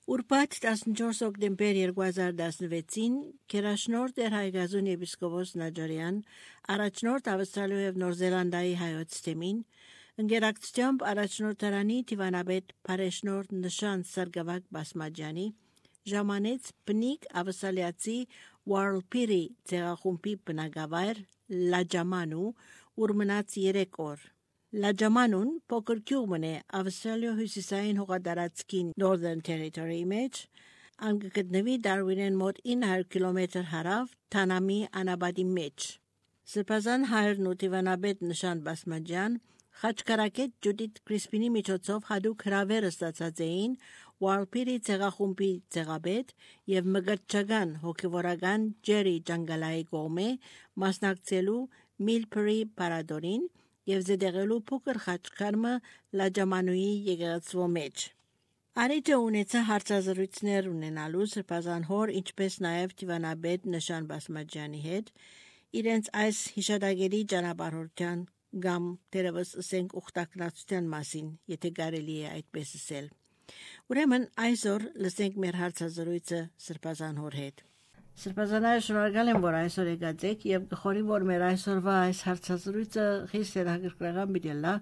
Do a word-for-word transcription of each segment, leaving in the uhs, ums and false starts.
Ուրբաթ տասնչորս օկտեմբեր երկու հազար տասնվեցին Քերաշնորհ էր Հայգազուն եպիսկոպոս Նաջարյան, առաջնորդ Ավստրալիայի և Նոր Զելանդիայի հայոց թեմին, ընկերակցությամբ առաջնորդարանի դիվանաբեդ Փարեշնորհ Նշան Սարգսակ Բասմաջյանի, ժամանեց բնիկ ավսալիացի Warlpiri ցեղախումբի բնակավայր Լաջամանու, ուր մնաց երեք օր։ Լաջամանուն փոքր գյուղ է Ավստրալիա հյուսիսային հողատարածքին Northern Territory մեջ, անգգտնվի Դարվինեն մոտ ինը հարյուր կիլոմետր հարավ Թանամի անաբադի մեջ։ Սրբազան հայրն ու դիվանաբեդ Նշան Բասմաջյան Խաչկարակետ Ջուդիթ Կրիսպինի միջոցով հadouk հրավեր ստացած էին Warlpiri ցեղախումբի ցեղաբեդ եւ մգրտչական հոգեվորական Ջերի Ջանգալայի կողմէ մասնակցելու Milpuri Paradorին եւ զդեղելու փոքր խաչքարմը Լաջամանուի եկեղեցու մեջ։ Արիջը ունեցա հարցազրույցներ ունենալու սրբազան հոր, ինչպես նաեւ դիվանաբեդ Նշան Բասմաջյանի հետ, իրենց այս հիշադակերի ճանապարհորդության կամ դերևս ասենք ուխտակնացության մասին, եթե կարելի է այդպես ասել։ Ուրեմն այսօր լսենք մեր հարցազրույցը սրբազան հոր հետ։ Սրբազանայ շնորհակալ եմ, որ այսօր եկած եք եւ գխորի, որ մեր այսօրվա այս հարցազրույցը խիստ հետաքրքրական բիդելա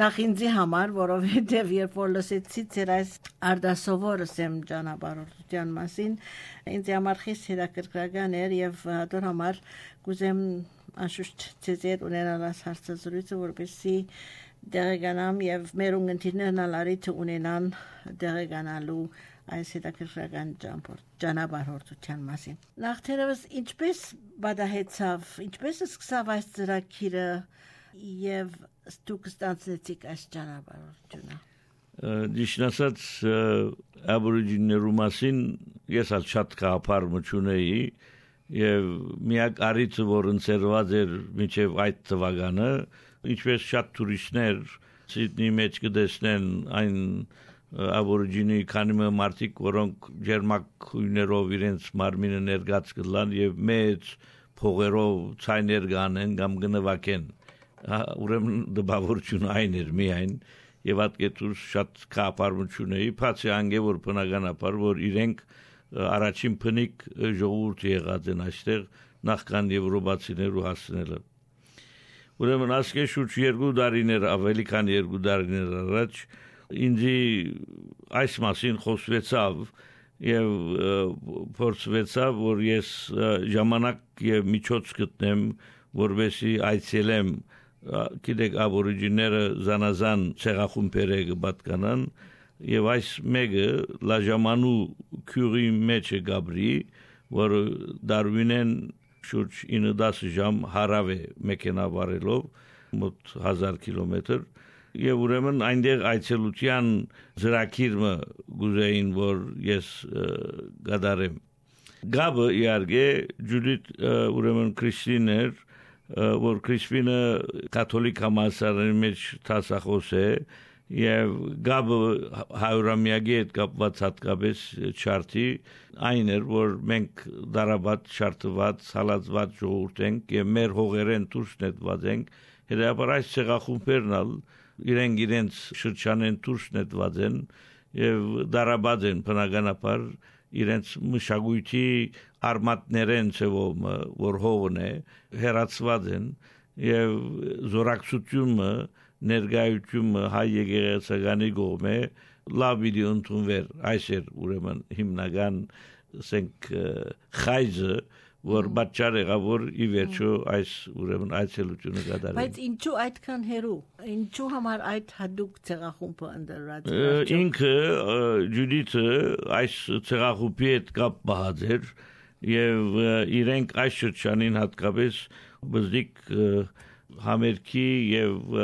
նախ ինձի համար, որովհետեւ երբ որ լսեցի ձեր այս արդասովոր ասեմ ճանապարհորդության մասին, ինձ համար խիստ հետաքրքրական էր եւ դրա համար կուզեմ անշուշտ ձեզ ունենալ այս հարցազրույցը, որպեսզի դերեգանամ եւ մեր ունգընտիրներն ալարիթ ունենան դերեգանալու այս հետաքրքրական ճանապարհորդության մասին։ Նախ-թերևս ինչպես բադահեցավ, ինչպես սկսավ այս ծրագիրը եւ դուք ստացեցիք այս ճանապարհորդությունը։ Ճիշտ ասած, աբորիջիներու մասին ես ալ շատ կապար մչունեի եւ միակ արիցը, որ ընձեռված էր մինչեւ այդ թվականը, ինչպես շատ տուրիստներ Սիդնեի մեջ կտեսնեն այն աբորիջինի քանի մարդիկ, որոնք ջերմակույներով իրենց մարմինը ներգած կլան եւ մեծ փողերով ցայներ կանեն կամ գնվակեն։ Ուրեմն դպավորություն այն էր միայն եւ ատկետուս շատ կապարմություն էի, բացի անգե որ բնականաբար որ իրենք առաջին փնիկ ժողովուրդ եղած են այստեղ նախքան եվրոպացիներու հասնելը։ Ուրեմն ասկե շուրջ երկու տարիներ ավելի քան երկու տարիներ առաջ ինձի այս մասին խոսվեցավ եւ փորձվեցավ, որ ես ժամանակ եւ միջոց գտնեմ, որովհետեւ այցելեմ գիտեք աբորիջիները զանազան ցեղախումբեր կպատկանան եւ այս մեկը Լաջամանու քյուրի մեջ է գաբրի, որ Դարվինեն շուրջ ինը դասը ժամ հարավ է մեքենավարելով մոտ հազար կիլոմետր եւ ուրեմն այնտեղ այցելության ծրագիրը գուզեին, որ ես գադարեմ։ Գաբը իարգե Ջուդիթ ուրեմն Կրիստիներ, որ Կրիստինը կաթոլիկ համալսարանի մեջ տասախոս է եւ գաբը հայրամիագի հետ կապված հատկապես չարթի այն էր, որ մենք դարաբադ շարտված հալածված ժողովուրդ ենք եւ մեր հողերեն դուրս նետված ենք, հետեւաբար այս ցեղախումբերն ալ իրենք իրենց շրջանեն դուրս նետված են եւ դարաբադ են բնականաբար իրենց մշակույթի արմատներեն ծևում, որ հողն է, հերացված են եւ զորակցությունը ներգայությունը հայ եկեղեցականի կողմէ լավ իդի ընդունվեր, այս էր ուրեմն հիմնական ասենք խայզը, որ պատճառ եղավ, որ ի վերջո այս ուրեմն այցելությունը կատարվի։ Բայց ինչու այդքան հերու, ինչու համար այդ հadouk ցեղախումբը ընդրած էր։ Ինքը Ջուդիթը այս ցեղախումբի հետ կապ բահած էր եւ իրենք այս շրջանին հատկապես բզդիկ համերգի եւ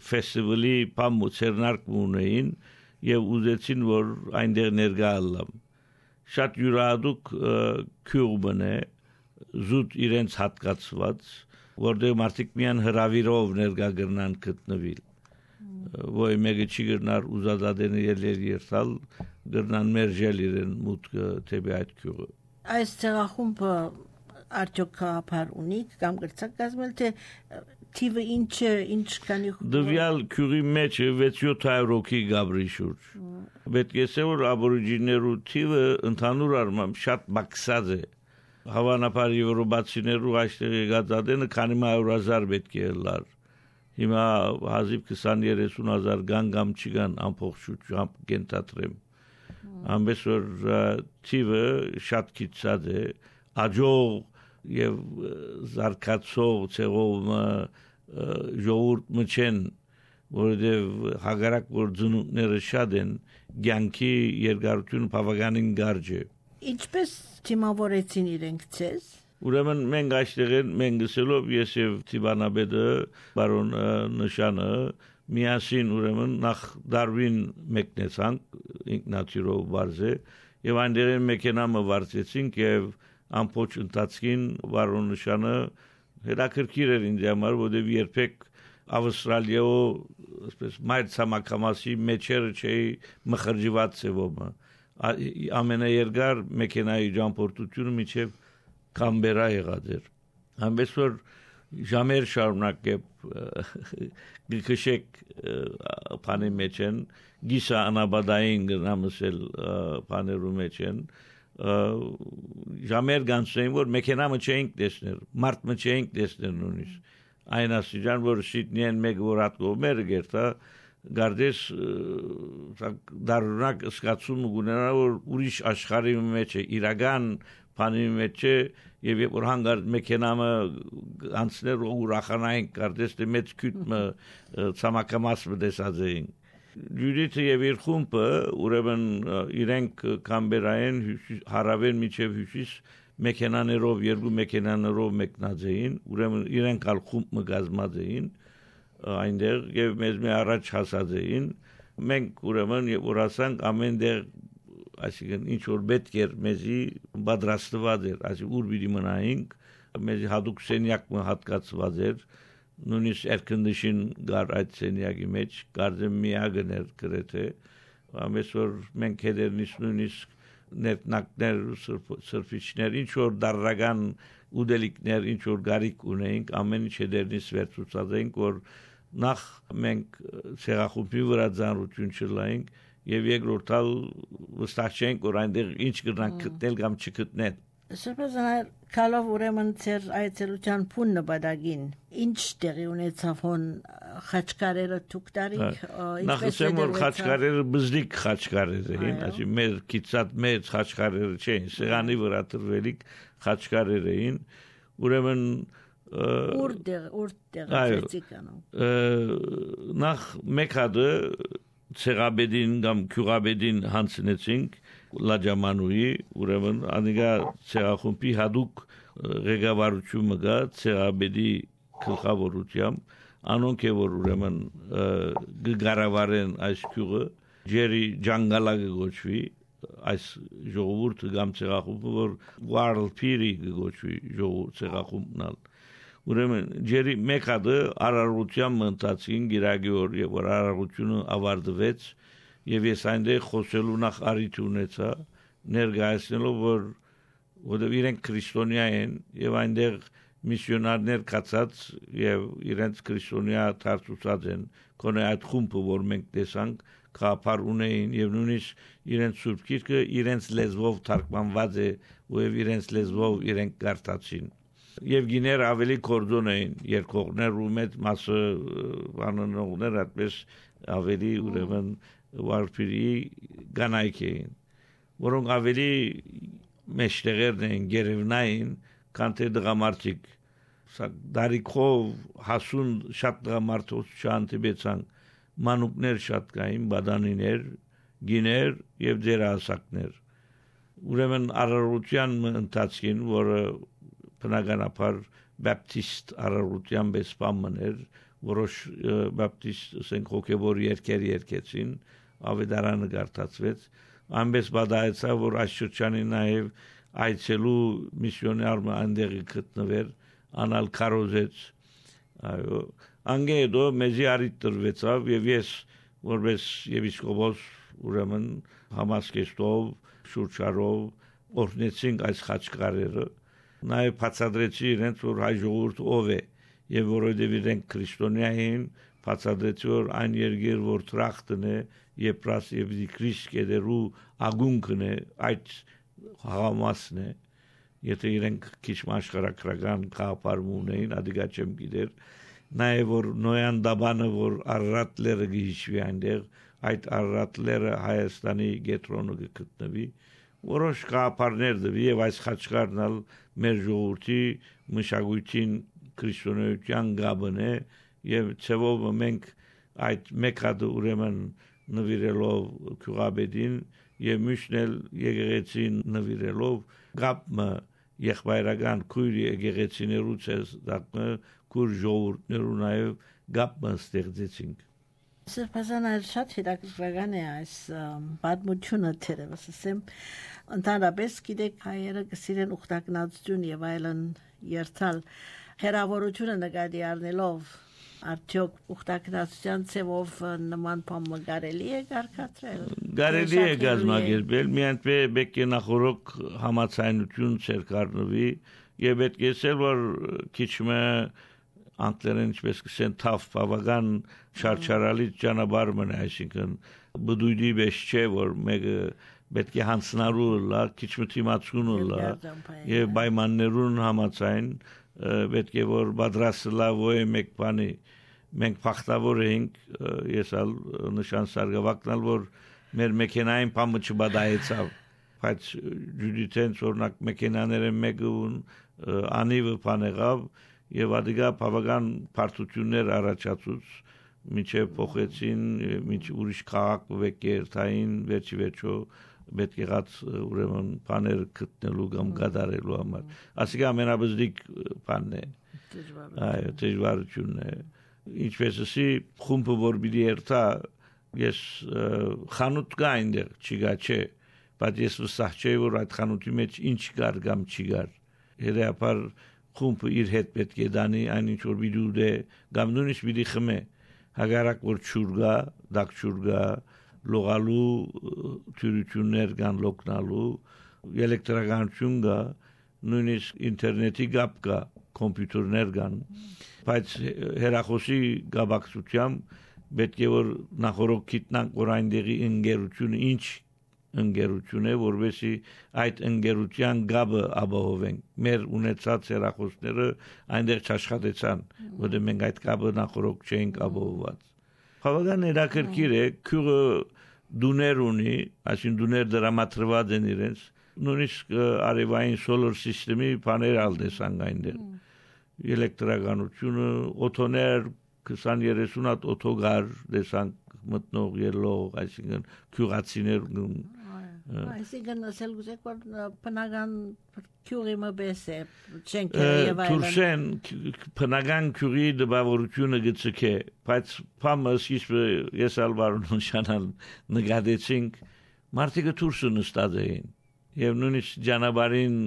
ֆեստիվալի պամուցերնարկ ունեին եւ ուզեցին, որ այնտեղ ներկա լինեմ։ Շատ յուրահատուկ քյուղ է, զուտ իրենց հատկացված, որտեղ մարդիկ միան հրավիրով ներկա կգնան գտնվել։ Ոյ մեկը չի գնար ուզածադեն ելեր երթալ, գնան մերժել իրեն մուտքը թեպի այդ քյուղը։ Այս ցեղախումբը արդյոք կապար ունի կամ գրծակ կազմել թե թիվը ինչ ինչ քանի դվյալ քյուրի մեջ վեց յոթ հարյուր հոգի գաբրի շուրջ։ Պետք է ասել, որ աբորիջիներու թիվը ընդհանուր առմամբ շատ բարձր է։ Հավանաբար եվրոպացիներու այստեղ եկած ադենը քանի հարյուր հազար պետք է լար։ Հիմա հազիվ քսան երեսուն հազար կան կամ չկան ամբողջ կենտրոնեմ։ Ամենս որ թիվը շատ քիչած է, աջող եւ զարգացող ցեղով ժողովուրդ մչեն, որովհետեւ հագարակ որ ծնունդները շատ են, ցանկի երկարությունը բավականին կարճ է։ Ինչպես թիմավորեցին իրենք ցես։ Ուրեմն մենք այստեղ մենք գսելով ես եւ Տիվանաբեդը բարոն նշանը միասին ուրեմն նախ Դարվին մեկնեցանք ինքնաթիռով վարზე եւ այնտեղ մեքենամը վարձեցինք եւ ամբողջ ընթացքին բարոն նշանը հետաքրքիր էր ինձ համար, որովհետեւ երբեք Ավստրալիայով այսպես մայր ցամաքամասի մեջերը չէի մխրջված ծևոմը ամենաերգար մեքենայի ճամփորդությունը միջև Կամբերա եղած էր ամենս որ ժամեր շարունակ է գքշեք բանի մեջ են գիսա անաբադային գնամսել բաներու մեջ են ժամեր գանցեն որ մեքենամը չէինք տեսնել մարդ մը չէինք տեսնել նույնիսկ այն ասիջան որ շիտնեն մեկ որ ատկոմեր գերտա գարդես դարունակ սկացում ունենա որ ուրիշ աշխարհի մեջ է իրական բանի մեջ է եւ որ հանգար մեքենամը անցներ ու ուրախանային գարդես դե մեծ քյութը ցամաքամաս մտեսածային Յուրիթը եւ իր խումբը ուրեմն իրենք Կամբերային հարավեն միջև հյուսիս մեքենաներով երկու մեքենաներով մեկնած էին ուրեմն իրենք ալ խումբ մգազմած էին այնտեղ եւ մեզ մի առաջ հասած էին մենք ուրեմն որ ասանք ամենտեղ այսինքն ինչ որ պետք էր մեզի պատրաստված էր այսինքն ուր պիտի մնայինք մեզի հadoop սենյակ հատկացված էր նույնիսկ air condition գար այդ սենյակի մեջ կարծեմ միագն էր գրեթե ամենս որ մենք հետերնից նույնիսկ ներնակներ սրբիչներ ինչ որ դարրական ուդելիկներ ինչ որ գարիկ ունեինք ամեն ինչ հետերնից վերցուցած էինք որ նախ մենք ցեղախումբի վրա ծանրություն չլայինք եւ երկրորդալ վստահ չենք որ այնտեղ ինչ կգնանք գտնել կամ չգտնեն Սրբազան կալով ուրեմն ծեր այցելության փուն նպատակին ինչ տեղի ունեցավ հոն խաչկարերը թուկտարիկ ինչպես է որ խաչկարերը բզդիկ խաչկարեր էին այսի մեր քիծած մեծ խաչկարերը չէին սեղանի վրա տրվելիք խաչկարեր էին ուրեմն ուրդեր ուրդեր նախ մեկ հատը ցեղաբեդին կամ քյուղաբեդին հանցնեցինք լաջամանուի ուրեմն անիգա ցեղախումբի հadoop ղեկավարությունը գա ցեղաբեդի գլխավորությամբ անոնք է որ ուրեմն գարավարեն այս քյուղը ջերի ջանգալագը գոչվի այս ժողովուրդը կամ ցեղախումբը որ վարլփիրի գոչվի ժողովուրդ ցեղախումբն ուրեմն ջերի մեկ հատը արարողության մնացին գիրագի օր եւ որ արարողությունը ավարտվեց եւ ես այնտեղ խոսելու նախ արիթ ունեցա ներկայացնելով որ որովհետեւ իրենք քրիստոնյա են եւ այնտեղ միսիոնարներ կացած եւ իրենց քրիստոնյա դարձուցած են կոնե այդ խումբը որ մենք տեսանք կապար ունեին եւ նույնիսկ իրենց սուրբ գիրքը իրենց լեզվով թարգմանված է եւ իրենց լեզվով իրենք կարդացին եւ գիներ ավելի կորձոն էին երկողներ ու մեծ մասը անոնողներ այդպես ավելի ուրեմն վարպիրի գանայք էին որոնք ավելի մեջտեղերն էին գերևնային քան թե դրամատիկ դարիքով հասուն շատ դրամատիկ չանտիբեցան մանուկներ շատ կային բադանիներ գիներ եւ դերասակներ ուրեմն արարողության ընթացքին որը բնականաբար բապտիստ արարողության բեսպամն էր որոշ բապտիստ ասենք հոգևոր երկեր երկեցին ավետարանը գարտացվեց ամենս բադայեցա որ այս շրջանի նաև այցելու միսիոները այնտեղի գտնվեր անալ կարոզեց այո անգեդո մեզի արիտրվեցավ եւ ես որպես եվիսկոպոս ուրեմն համասկեստով շուրչարով օրնեցինք այս խաչկարերը նաև բացադրեցի իրենց որ հայ ժողովուրդ ով է եւ որովհետեւ իրենք քրիստոնյա էին բացադրեցի որ այն երկիր որ տրախտն է Եփրաս եւ դիկրիս կերու ագունքն է այդ համասն է եթե իրենք քիչ աշխարհակրական կապարում ունեին ադիգա չեմ գիտեր նաեւ որ նոյան դաբանը որ Արարատլերը գիչվի այնտեղ այդ Արարատլերը Հայաստանի գետրոնը գտնվի որոշ կապարներ դվի եւ այս խաչքարնալ մեր ժողովրդի մշակույթին քրիստոնեության գաբն է եւ ցեվով մենք այդ մեկ հատ ուրեմն նվիրելով քուրաբեդին եւ միշնել եկեղեցին նվիրելով գապը եղբայրական քույրի եկեղեցիներուց է դակը քուր ժողովուրդներու նաեւ գապը ստեղծեցինք Սրբազան այլ շատ հետաքրքրական է այս պատմությունը թերևս ասեմ ընդհանրապես գիտեք հայերը կսիրեն ուխտակնածություն եւ այլն երթալ հերավորությունը նկատի առնելով արդյոք ուխտակնածության ցևով նման բան կարելի է կարգադրել Կարելի է գազմագերբել միայն պետք է նախորոք համացայնություն ցերկարնվի եւ պետք է ասել որ քիչմը անգլերեն ինչպես կսեն թավ բավական շարչարալի ճանապարհ մնա այսինքն բդույդի բեշ չէ որ մեկը պետք է հանցնարու լա քիչմը թիմացուն լա եւ պայմաններուն համացայն պետք է որ պատրաստ լա ոյ մեկ բանի մենք փախտավոր էինք ես ալ նշան սարգսակնալ որ մեր մեքենային փամը չբադայեցավ բայց ջուդիտեն օրնակ մեքենաները մեկուն անիվը փանեղավ եւ ադիգա բավական բարդություններ առաջացուց միջև փոխեցին միջ ուրիշ քաղաք վեկերտային վերջի վերջո պետք եղած ուրեմն բաներ գտնելու կամ գդարելու համար ասիկա ամենաբզդիկ բանն է այո դժվարությունն է ինչպես ասի խումբը որ բիդի երթա ես խանութ կա այնտեղ չգա չէ բայց ես վստահ չէի որ այդ խանութի մեջ ինչ կար կամ չի գար երեապար խումբը իր հետ պետք է դանի այն ինչ որ բիդու դե կամ նույնիսկ բիդի խմե հագարակ որ չուրգա դակ չուրգա լողալու թյուրություններ կան լոկնալու էլեկտրականություն կա նույնիսկ ինտերնետի գապ կա կոմպյուտերներ կան բայց հերախոսի գաբակցությամբ պետք է որ նախորոք գիտնանք որ այնտեղի ընկերությունը ինչ ընկերություն է որովհետեւ այդ ընկերության գաբը ապահովենք մեր ունեցած հերախոսները այնտեղ չաշխատեցան որտեղ մենք այդ գաբը նախորոք չէինք ապահովված բավական հետաքրքիր է քուրը դուներ ունի այսինքն դուներ դրամատրված են իրենց նույնիսկ արևային solar system-ի բաներ ալդեսան այնտեղ էլեկտրականությունը օտոներ քսան երեսուն հատ օտոգար դեսանք մտնող ելող այսինքն քյուղացիներ այսինքն ասել գուզեք որ բնական քյուղի մբես է չենքերը եւ այլն Թուրսեն բնական քյուղի դպավորությունը գծկե բայց փամս ես ալվարուն շանալ նկատեցինք մարդիկը Թուրսը նստած էին եւ նույնիսկ ճանապարհին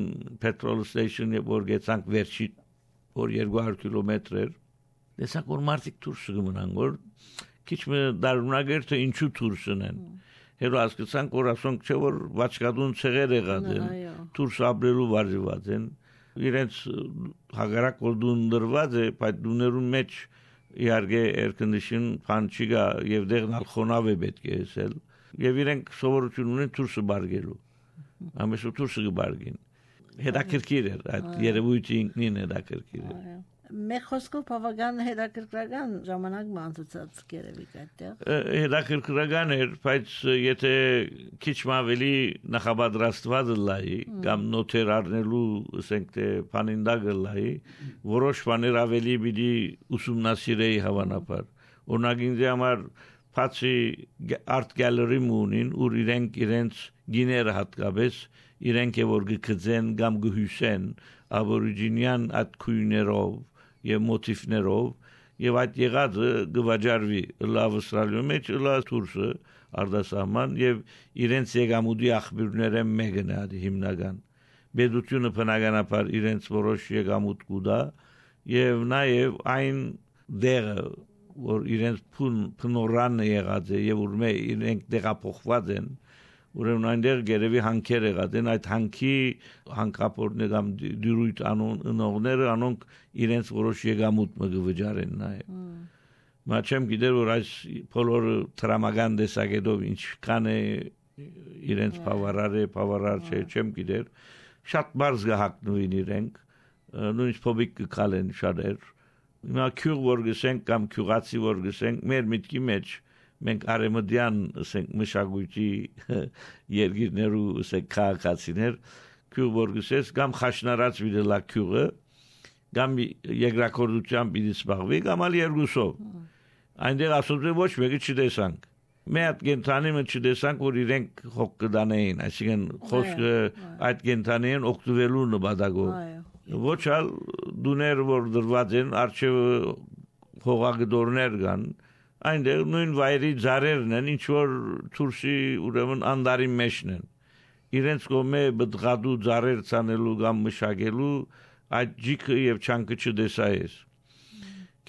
petrol station-ը որ գեցանք վերջի որ երկու հարյուր կիլոմետր էր դեսանք որ մարդիկ Թուրսը գմնան որ քիչ մը դարունագեր թե ինչու Թուրսն են Հետո հասկացանք որ ասոնք չէ որ վաճկադուն ցեղեր եղած են Թուրս ապրելու վարժված են իրենց հագարակ որ դուն դրված է բայց դուներուն մեջ իհարկե air condition բան չկա եւ դեղնալ խոնավ է պետք է ասել եւ իրենք սովորություն ունեն Թուրսը բարգելու ամեսու Թուրսը գբարգին հետաքրքիր է այդ երևույթի ինքնին հետաքրքիր է Մեկ խոսքով բավական հետաքրքրական ժամանակ մանցուցած գերեվիկ այդտեղ հետաքրքրական էր բայց եթե քիչ ավելի նախապատրաստված լայի կամ նոթեր առնելու ասենք թե փանինդագը լայի որոշ բաներ ավելի պիտի ուսումնասիրեի հավանաբար օրինակ ինձ համար բացի art gallery մունին ուր իրենք իրենց գիները հատկապես իրենք է որ գկծեն կամ գհյուսեն աբորիջինյան այդ քույներով եւ մոտիվներով եւ այդ եղածը գվաճարվի լավ Ավստրալիայում մեջ լավ Թուրսը արդասահման եւ իրենց եկամուտի աղբյուրները մեկն է հիմնական բեդությունը բնականաբար իրենց որոշ եկամուտ կուտա եւ նաեւ այն դերը որ իրենց փնորանը եղած է եւ որ մե իրենք դեղափոխված են ուրեմն այնտեղ գերեւի հանքեր եղած են այդ հանքի հանքապորտներ կամ դյուրույթ անոնները անոնք իրենց որոշ եկամուտ մը գվճարեն նաեւ Մաչեմ գիտեր որ այս բոլոր տրամական դեսագետով ինչքան է իրենց բավարար է, բավարար չէ, չեմ գիտեր։ Շատ բարձ գահակնուին իրենք, նույնիսկ փոբիկ կքալեն շատեր։ Հիմա քյուղ որ գսենք կամ քյուղացի որ գսենք, մեր միտքի մեջ մենք արեմդյան ասենք մշակույթի երգիրներու ասենք քաղաքացիներ քյուղ որ գսես կամ խաշնարած վիդելա քյուղը կամ երկրակորդությամբ պիտի զբաղվի կամ ալ երկուսով այնտեղ ասում է ոչ մեկը չտեսանք Մեծ գենթանիմը չտեսանք որ իրենք հոգ կդանեին այսինքն խոսքը այդ գենթանին օգտվելու նպատակով ոչ ալ դուներ որ դրված են արչև հողագդորներ կան այնտեղ նույն վայրի ծառերն են ինչ որ թուրսի ուրեմն անդարի մեջն են իրենց կողմէ բդղադու ծառեր ցանելու կամ մշակելու այդ ջիքը եւ չանկը չդեսայես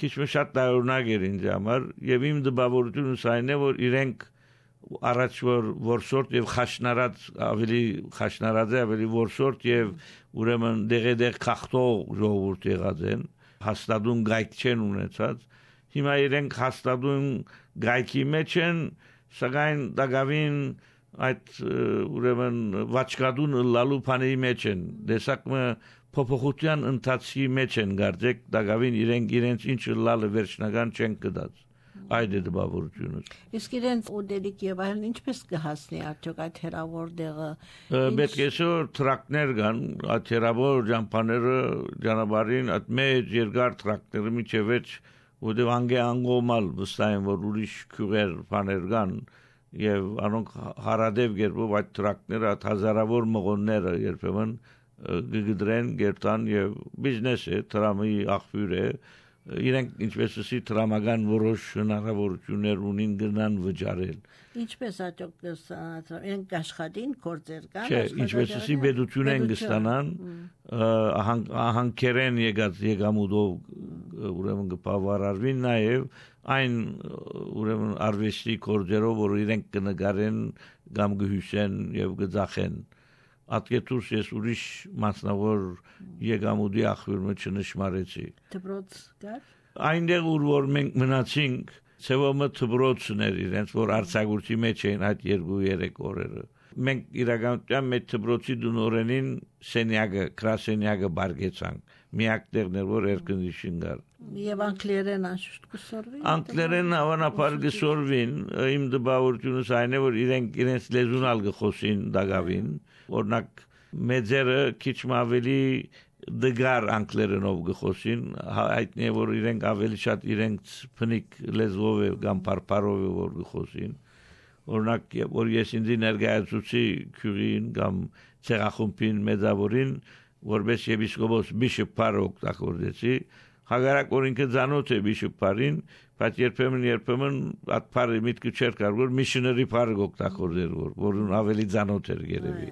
քիչ մը շատ տարօրինակ էր ինձ համար եւ իմ դպավորությունը սայն է որ իրենք առաջ որ որսորտ եւ խաշնարած ավելի խաշնարած է ավելի որսորտ եւ ուրեմն դեղեդեղ խախտող ժողովուրդ եղած են հաստատուն գայք չեն ունեցած հիմա իրենք հաստատուն գայքի մեջ են սակայն դակավին այդ ուրեմն վաճկադուն լալու փանի մեջ են դեսակը փոփոխության ընթացքի մեջ են գարձեք դակավին իրենք իրենց ինչ լալը վերջնական չեն կդած այդ է դպավորությունը իսկ իրենց ուդելիկ եւ այլն ինչպես կհասնի արդյոք այդ հերավոր դեղը պետք է որ տրակներ կան այդ հերավոր ճամփաները ճանապարհին այդ մեծ երկար տրակները միջևեջ ուդև անգե անգոմալ վստահ որ ուրիշ քյուղեր բաներ կան եւ անոնք հարադեվ գերբով այդ տրակները հազարավոր մղոնները երբեմն գգդրեն գերտան եւ բիզնես է տրամի աղբյուր է իրենք ինչպես ասի տրամական որոշ հնարավորություններ ունին գնան վճարել ինչպես ատոք կստանան իրենք աշխատին կորձեր կան չէ ինչպես ասի բեդություն են կստանան ահանքերեն եկած եկամուտով ուրեմն կբավարարվին նաեւ այն ուրեմն արվեստի կորձերով որ իրենք կնկարեն կամ կհյուսեն եւ կձախեն Ատկետուս ես ուրիշ մասնավոր եկամուտի աղբյուրը չնշմարեցի։ Դպրոց կար։ Այնտեղ ուր որ մենք մնացինք, ցեվոմը դպրոցն էր իրենց որ արցակուրտի մեջ էին այդ երկու երեք օրերը։ Մենք իրականության մեջ դպրոցի դնորենին սենյակը, քրասենյակը բարգեցանք։ Միակ տեղն էր որ երկնիշին կար։ Եվ անգլերեն անշուշտ կսորվի։ Անգլերեն հավանաբար կսորվին, իմ դպավորությունս այն է որ իրենք իրենց լեզուն ալ կխոսին դակավին Օրինակ մեծերը քիչ ավելի դգար անգլերենով գխոսին հայտնի է որ իրենք ավելի շատ իրենց փնիկ լեզվով կամ բարբարով որ գխոսին օրինակ որ ես ինձ ներկայացուցի քյուրին կամ ցեղախումբին մեծավորին որպես եպիսկոպոս բիշոպար օգտագործեցի հագարակ օրինքը ցանոթ է բիշոպարին բայց երբեմն երբեմն այդ բարի միտքը չէր կարող որ միսիոների բարը օգտագործեր որ որուն ավելի ցանոթ էր երևի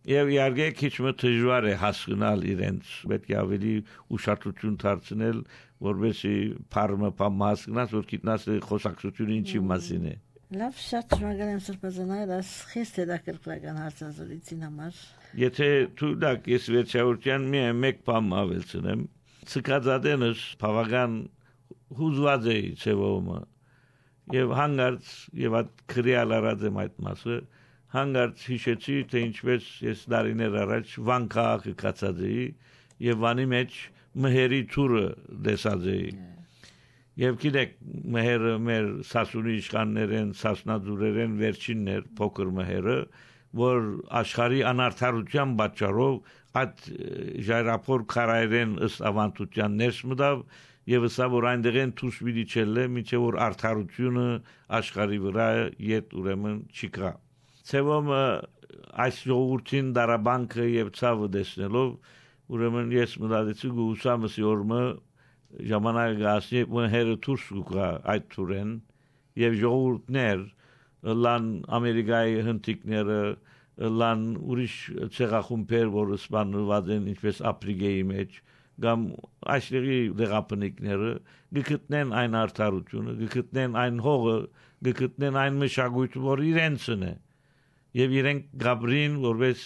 Եվ իհարկե քիչ մը դժվար է հասկանալ իրենց պետք է ավելի ուշադրություն դարձնել որովհետեւ փառը փամասկնաց որ գիտնաս խոսակցությունը ինչի մասին է Լավ շատ շնորհակալ եմ սրբազանայր այս խիստ հետաքրքրական հարցազրույցին համար Եթե դու դակ ես վերջավորության մի մեկ բան ավելցնեմ ցկածադենս բավական հուզված է ցեվոմը եւ հանգարց եւ այդ քրիալ արած եմ այդ մասը հանգարց հիշեցի թե ինչպես ես դարիներ առաջ Վան քաղաքը կացած էի եւ Վանի մեջ մհերի թուրը դեսած էի եւ գիտեք մհերը մեր սասունի իշխաններեն սասնաձուրերեն վերջիններ փոքր մհերը որ աշխարհի անարդարության պատճառով այդ ժայռափոր քարայրեն ըստ ավանդության ներս մտավ եւ սա որ այնտեղեն դուրս մի դիչել է միջև որ արդարությունը աշխարհի վրա իդ ուրեմն չկա Ցեվոմը այս ժողովրդին դարաբանքը եւ ցավը դեսնելով ուրեմն ես մտածեցի գուսամսի օրը ժամանակը գասի մհերը դուրս գա այդ թուրեն եւ ժողովուրդներ լան ամերիկայի հնդիկները լան ուրիշ ցեղախումբեր որ սպանված են ինչպես ապրիգեի մեջ կամ աշխարհի դեղապնիկները գտնեն այն արդարությունը գտնեն այն հողը գտնեն այն մշակույթը որ իրենցն է Եվ իրենք գաբրին որպես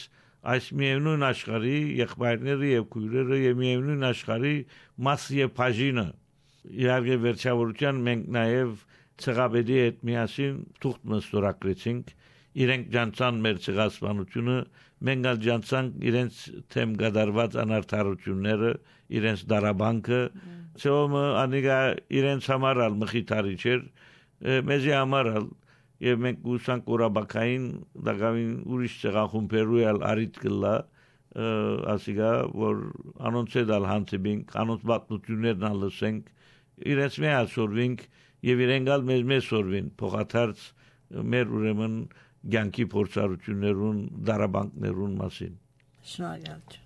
այս միևնույն աշխարհի եղբայրները եւ քույրերը եւ միևնույն աշխարհի մաս եւ բաժինը իհարկե վերջավորության մենք նաև ցեղաբեդի հետ միասին թուղթ մստորագրեցինք իրենք ջանցան մեր ցեղասպանությունը մենք ալ ջանցանք իրենց թեմ գդարված անարդարությունները իրենց դարաբանկը ցոմը անիգա իրենց համար ալ մխիթարի չէր մեզի համար ալ եւ մենք ուսանք Ղորաբաքային դակավին ուրիշ ցեղախումբերու ալ արիտ կլա ասիգա որ անոնց դալ հանցինք անոնց պատմություններն ալ լսենք իրենց մի ասորվինք եւ իրենք ալ մեզ մեզ սորվին փոխադարձ մեր ուրեմն ցանկի փորձառություններուն դարաբանկներուն մասին շնորհակալ